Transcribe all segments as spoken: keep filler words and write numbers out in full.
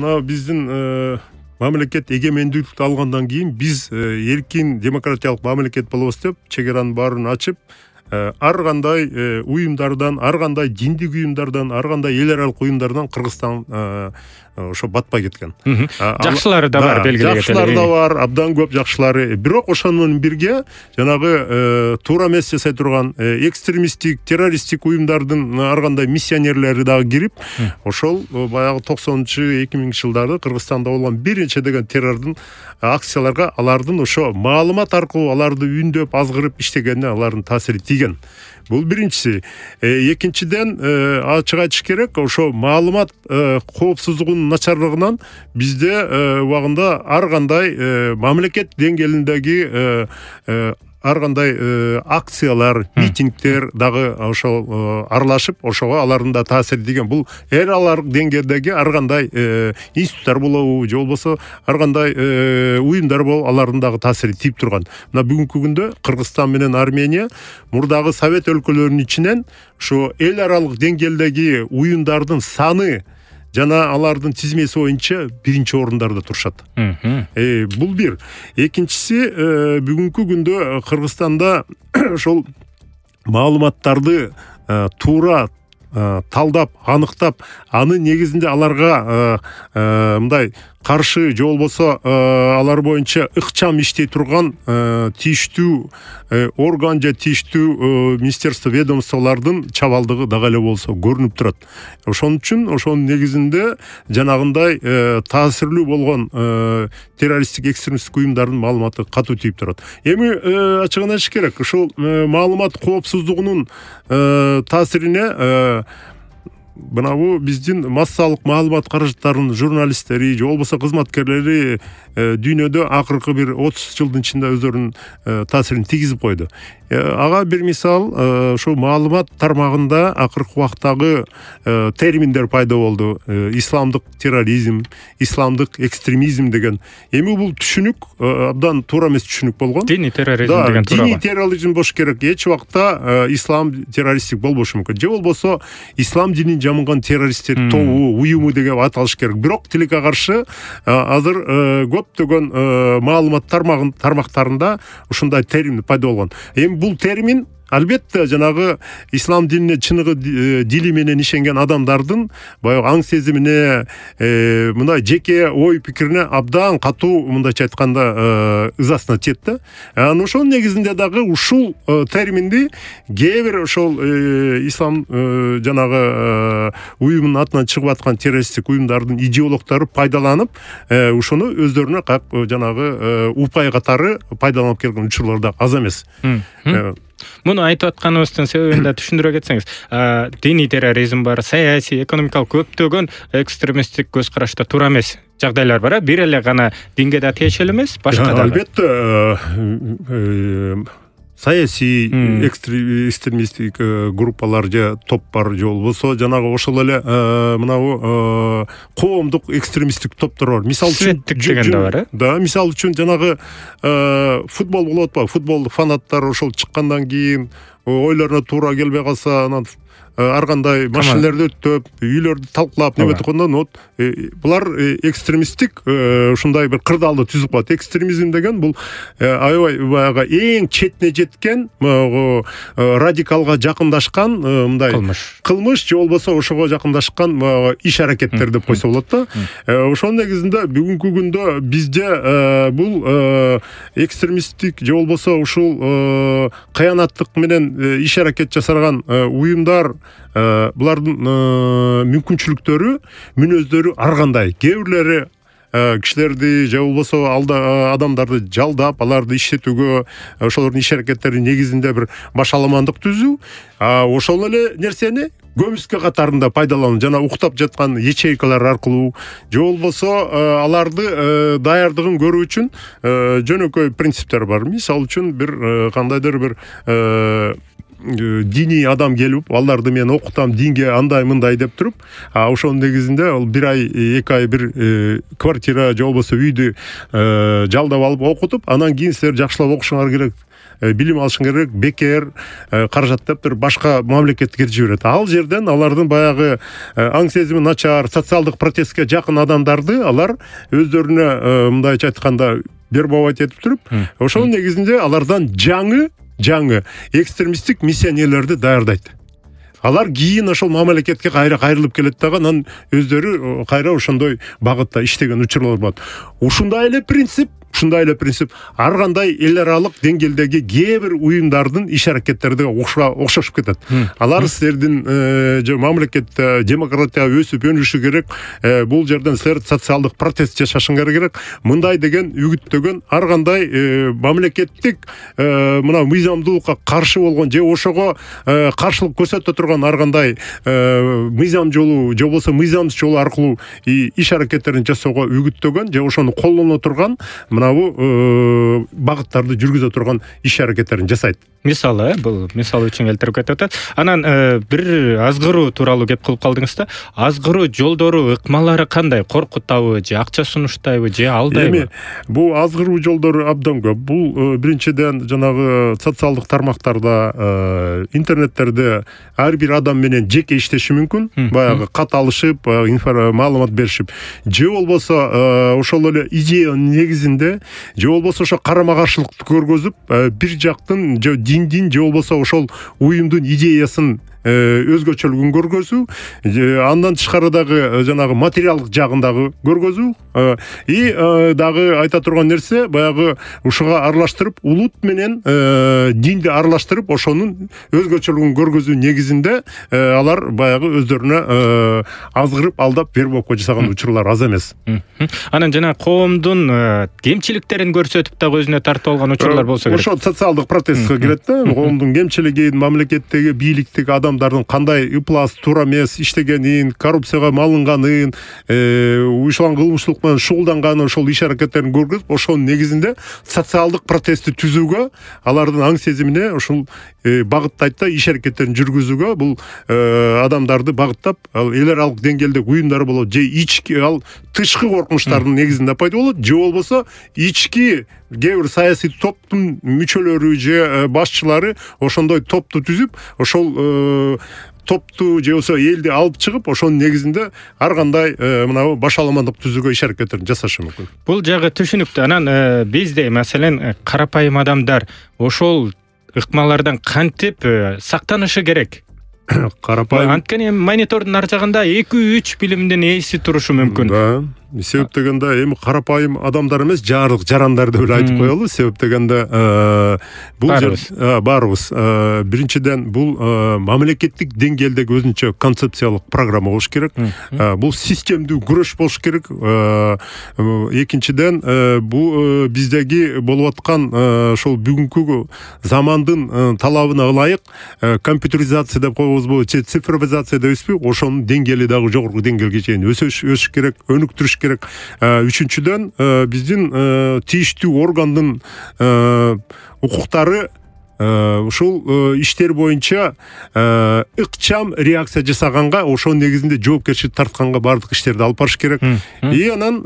мына биздин мамлекет эгемендүүлүктү алгандан кийин биз эркин демократиялык мамлекет болобуз деп чек аранын баарын ачып, ар кандай уюмдардан, ар кандай диндик уюмдардан, ар кандай эл аралык уюмдардан Кыргызстан ошо батпай кеткен. Жакшылары да бар, белгилүү. Жакшылары да бар, абдан көп жакшылары. Бирок ошону менен бирге жанагы туура эмес жасай турган экстремисттик, террористтик уюмдардын ар кандай миссионерлери дагы кирип, ошол баягы токсонунчу эки миңинчи жылдары Кыргызстанда болгон бир нече деген террордун акцияларга алардын ошо маалымат аркылуу аларды үндөп, азгырып иштегенине алардын таасири тийген. Бул биринчиси. Экинчиден, ачык айтыш керек, ошо маалымат коопсуздугунун начарлыгынан бизде убагында ар кандай мамлекет деңгээлиндеги ар кандай акциялар, митингдер дагы ошол аралашып, ошого алардын да таасири тийген. Бул эл аралык деңгээлдеги ар кандай институттар болобу, же болбосо ар кандай уюмдар болуп, алардын дагы таасири тийип турган. Мына бүгүнкү күндө Кыргызстан менен Армения мурдагы Совет өлкөлөрүнүн ичинен ошо эл аралык деңгээлдеги уюмдардын саны жана алардын тизмеси боюнча биринчи орундарда турушат. Бул бир. Экинчиси, бүгүнкү күндө Кыргызстанда ошол маалыматтарды туура талдап, аныктап, анын негизинде аларга мындай каршы же болбосо алар боюнча ыкчам иштей турган тийиштүү орган же тийиштүү министерство, ведомстволордун чабалдыгы дагы эле болсо көрүнүп турат. Ошон үчүн ошонун негизинде жанагындай таасирлүү болгон террористтик, экстремисттик уюмдардын маалыматы катуу тийип турат. Эми ачыгын айтыш керек, ушул маалымат коопсуздугунун таасирине мынабу биздин массалык маалымат каражаттарынын журналисттери же болбосо кызматкерлери дүйнөдө акыркы бир отуз жылдын ичинде өздөрүнүн таасирин тийгизип койду. Ага бир мисал, ошо маалымат тармагында акыркы убактагы терминдер пайда болду. Исламдык терроризм, исламдык экстремизм деген. Эми бул түшүнүк абдан туура эмес түшүнүк болгон. Дини терроризм деген туура. Дини терроризм болуш керек. Эч убакта ислам террористтик болбошу мүмкүн. Же болбосо ислам динин жамынган террористтер тобу, уюму деген аталыш керек. Бирок тилекке каршы азыр көптөгөн маалымат тармактарында ушундай термин пайда болгон. Эми бул термин албетте жанагы ислам динине чыныгы дили менен ишенген адамдардын баягы аң сезимине, мындай жеке ой пикирине абдан катуу, мындайча айтканда, ызасына тиет да. Анан ошонун негизинде дагы ушул терминди кээ бир ошол ислам жанагы уюмунун атынан чыгып аткан террористтик уюмдардын идеологдору пайдаланып, ошону өздөрүнө как жанагы упай катары пайдаланып келген учурлар да аз эмес. Муну айтып атканыбыздын себебин да түшүндүрө кетсеңиз. Диний терроризм бар, саясий, экономикалык көптөгөн экстремисттик көз карашта туура эмес жагдайлар бар. Бир эле гана динге да тиешелүү эмес, башка да. Албетте, саясий экстремисттик группалар же топтор же болбосо жанагы ошол эле мынабу коомдук экстремисттик топтор бар. Мисалы үчүн деген да бар, э? Да, мисалы үчүн жанагы футбол болуп атпайбы? Футболдук фанаттар ошол чыккандан кийин ойлоруна туура келбей калса, анан ар кандай машинелерди өттөп, үйлөрдү талкалап, неме эткенден вот булар экстремисттик ушундай бир кырдаалды түзүп коет. Экстремизм деген бул аябай баягы эң четине жеткен, радикалга жакындашкан мындай кылмыш же болбосо ошого жакындашкан иш аракеттер деп койсо болот да. Ошонун негизинде бүгүнкү күндө бизде бул экстремисттик же болбосо ушул кыянаттык менен иш аракет жасаган уюмдар, булардын мүмкүнчүлүктөрү, мүнөздөрү ар кандай. Кээ бирлери кишилерди же болбосо адамдарды жалдап, аларды иштетүүгө, ошолордун иш аракеттеринин негизинде бир башаламандык түзүү, ошол эле нерсени көмүскө катарында пайдалануу, жана уктап жаткан ячейкалар аркылуу, же болбосо аларды даярдыгын көрүү үчүн жөнөкөй принциптер бар. Мисалы үчүн бир кандайдыр бир диний адам келип, аларды мен окутам, динге андай мындай деп туруп, ошонун негизинде ал бир ай, эки ай бир квартира же болбосо үйдү жалдап алып окутуп, анан кийин силер жакшылап окушуңар керек билим алышың керек, бекер каражат деп бир башка мамлекетке жиберет. Ал жерден алардын баягы аң сезими начар, социалдык протестке жакын адамдарды алар өздөрүнө мындайча айтканда вербовать этип туруп, ошонун негизинде алардан жаңы жаңы экстремисттик миссионерлерди даярдайт. Алар кийин ошол мамлекетке кайра кайрылып келет дагы, анан өздөрү кайра ошондой багытта иштеген учурлар болот. Ушундай эле принцип Ушундай эле принцип ар кандай эл аралык деңгээлдеги кээ бир уюмдардын иш аракеттерине окшошуп кетет. Алар силердин мамлекетте демократия өсүп өнүшү керек, бул жерден силер социалдык протест жашашыңар керек. Мындай деген үгүттөгөн ар кандай мамлекеттик мына мыйзамдуулукка каршы болгон же ошого каршылык көрсөтө турган ар кандай мыйзам жолу же болбосо мыйзамсыз жол аркылуу иш аракеттерин жасоого үгүттөгөн же ошону колдоно турган мынабу багыттарды жүргүзө турган иш аракеттерин жасайт. Мисалы, бул мисал үчүн келтирип кетип атат. Анан бир азгыруу тууралуу кеп кылып калдыңыз да. Азгыруу жолдору, ыкмалары кандай? Коркутабы же акча сунуштайбы же алдайбы? Эми бул азгыруу жолдору абдан көп. Бул биринчиден жанагы социалдык тармактарда, интернеттерде ар бир адам менен жеке иштеши мүмкүн. Баягы кат алышып, маалымат беришип, же болбосо ошол эле идеянын негизинде, же болбосо ошо карама-каршылыкты көргөзүп, бир жактын диндин же болбосо ошол уюмдун идеясын өзгөчөлүгүн көргөзүү, андан тышкары дагы жанагы материалдык жагын дагы көргөзүү, и дагы айта турган нерсе баягы ушуга аралаштырып, улут менен динди аралаштырып, ошонун өзгөчөлүгүн көргөзүү негизинде алар баягы өздөрүнө азгырып, алдап, вербовка жасаган учурлар аз эмес. Анан жана коомдун кемчиликтерин көрсөтүп дагы өзүнө тартып алган учурлар болсо керек. Ошо социалдык протестке кирет да, коомдун кемчилигин, мамлекеттеги бийликтеги адамдардын кандай ыплас, туура эмес иштегенин, коррупцияга малынганын, уюшкан кылмыштуулук менен шугулданганын, ошол иш аракеттерин көргөзүп, ошонун негизинде социалдык протестти түзүүгө, алардын аң сезимине ошол багыттайт да, иш аракеттерин жүргүзүүгө бул адамдарды багыттап, ал эл аралык деңгээлде уюмдар болот, же ички ал тышкы коркунучтардын негизинде пайда болот, же болбосо ички кээ бир саясий топтун мүчөлөрү же башчылары ошондой топту түзүп, ошол топту же болбосо элди алып чыгып, ошонун негизинде ар кандай мына башаламандык түзүүгө иш аракеттерин жасашы мүмкүн. Бул жагы түшүнүктүү. Анан бизде маселен карапайым адамдар ошол ыкмалардан кантип сактанышы керек? Карапайым анткени монитордун ар жагында эки үч билимдин ээси турушу мүмкүн. Да. Себеп дегенде эми карапайым адамдар эмес, жарык жарандар деп эле айтып коелу. Себеп дегенде бул баарыбыз биринчиден бул мамлекеттик деңгээлдеги өзүнчө концепциялык программа болуш керек. Бул системдүү күрөш болуш керек. Экинчиден бул биздеги болуп аткан ошол бүгүнкү замандын талабына ылайык компьютеризация деп коебузбу, цифровизация деппизби, ошонун деңгээли дагы жогорку деңгээлге чейин өсүш өсүш керек, өнүктүрүш керек. Үчүнчүдөн биздин тийиштүү органдын укуктары ушул иштер боюнча ыкчам реакция жасаганга, ошонун негизинде жоопкерчилик тартканга баардык иштерди алып барыш керек. И анан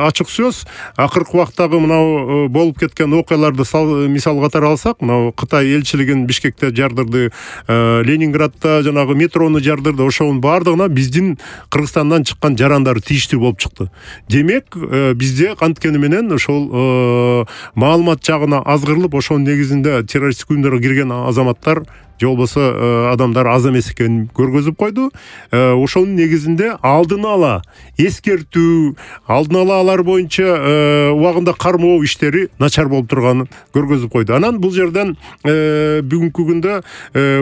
ачык сөз, акыркы убактагы мынау болуп кеткен окуяларды мисал катары алсак, мынау Кытай элчилигин Бишкекте жардырды, Ленинградда жанагы метрону жардырды, ошонун баардыгына биздин Кыргызстандан чыккан жарандар тийиштүү болуп чыкты. Демек, бизде анткени менен ошол маалымат жагына азгырылып, ошонун негизинде террористтик уюмдарга кирген азаматтар же болбосо адамдар аз эмес экенин көргөзүп койду. Ошонун негизинде алдын ала эскертүү, алдын ала алар боюнча убагында кармоо иштери начар болуп турганын көргөзүп койду. Анан бул жерден бүгүнкү күндө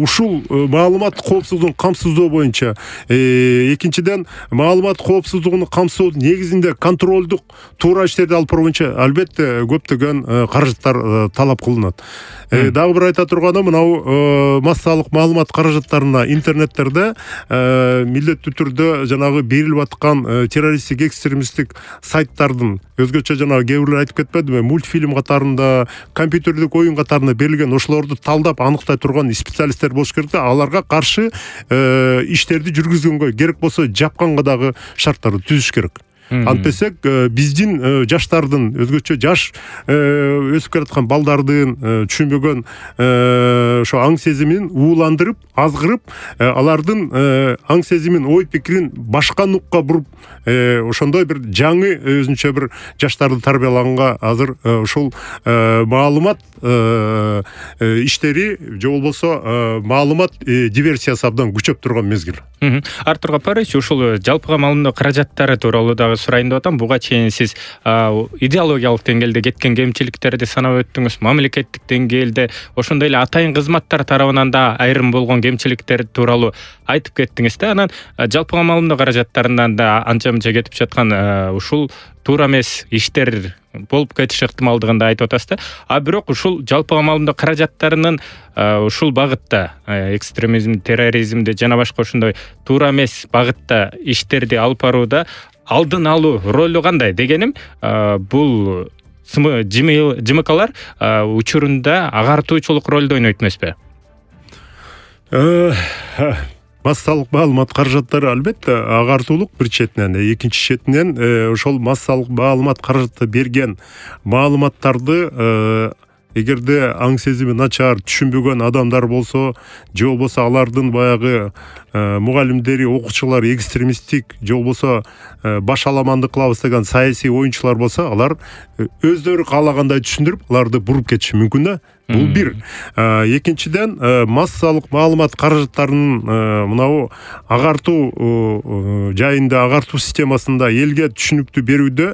ушул маалымат коопсуздугун камсыздоо боюнча, экинчиден маалымат коопсуздугун камсыздоодун негизинде контролдук туура иштерди алып баруу боюнча албетте көптөгөн каражаттар талап кылынат. Дагы бир айта турганым, мынау массалык маалымат каражаттарына интернеттерде милдеттүү түрдө жанагы берилип аткан террористтик, экстремисттик сайттардын өзгөчө жанагы кээ бирлер айтып кетпедиби, мультфильм катарында, компьютердик оюн катарында берилген ошолорду талдап аныктай турган специалисттер болуш керек да, аларга каршы иштерди жүргүзгөнгө керек болсо жапканга дагы шарттарды түзүш керек. антпесек биздин жаштардын, өзгөчө жаш өсүп келаткан балдардын түшүнбөгөн ошо аң сезимин ууландырып, азгырып, алардын аң сезимин, ой пикирин башка нукка буруп, ошондой бир жаңы өзүнчө бир жаштарды тарбиялаганга азыр ушул маалымат иштери же болбосо маалымат диверсиясы абдан күчөп турган мезгил. Артур Гапарович, ушул жалпыга маалымдоо каражаттары тууралуу дагы сурайын деп атам. Буга чейин сиз идеологиялык деңгээлде кеткен кемчиликтерди санап өттүңүз, мамлекеттик деңгээлде ошондой эле атайын кызматтар тарабынан да айрым болгон кемчиликтер тууралуу айтып кеттиңиз да. Анан жалпыга маалымдоо каражаттарынан да анча мынча кетип жаткан ушул туура эмес иштер болуп кетиш ыктымалдыгын да айтып атасыз да. А бирок ушул жалпыга маалымдоо каражаттарынын ушул багытта экстремизм, терроризмди жана башка ошондой туура эмес багытта иштерди алып барууда алдын алуу ролу кандай дегеним, бул ЖМКлар учурунда агартуучулук ролду ойнойт эмеспи? Массалык маалымат каражаттары албетте агартуулук бир четинен, экинчи четинен ошол массалык маалымат каражаты берген маалыматтарды эгерде аң сезими начар, түшүнбөгөн адамдар болсо, же болбосо алардын баягы мугалимдери, окуучулар экстремисттик же болбосо башаламандык кылабыз деген саясий оюнчулар болсо, алар өздөрү каалагандай түшүндүрүп, аларды буруп кетиши мүмкүн да. Бул бир. Экинчиден, массалык маалымат каражаттарынын мынабу агартуу жайында, агартуу системасында элге түшүнүктүү берүүдө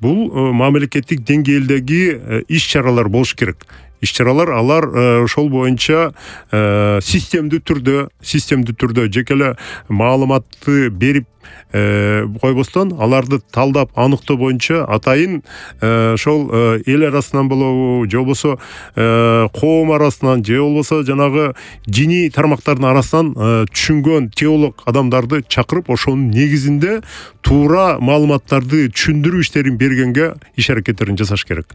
бул мамлекеттик деңгээлдеги иш-чаралар болуш керек. Иш-чаралар алар ошол боюнча системдүү түрдө, системдүү түрдө жекеле маалыматты берип койбостон, аларды талдап аныктоо боюнча атайын ошол эл арасынан болобу, же болбосо коом арасынан, же болбосо жанагы диний тармактардын арасынан түшүнгөн теолог адамдарды чакырып, ошонун негизинде туура маалыматтарды түшүндүрүү иштерин бергенге иш аракеттерин жасаш керек.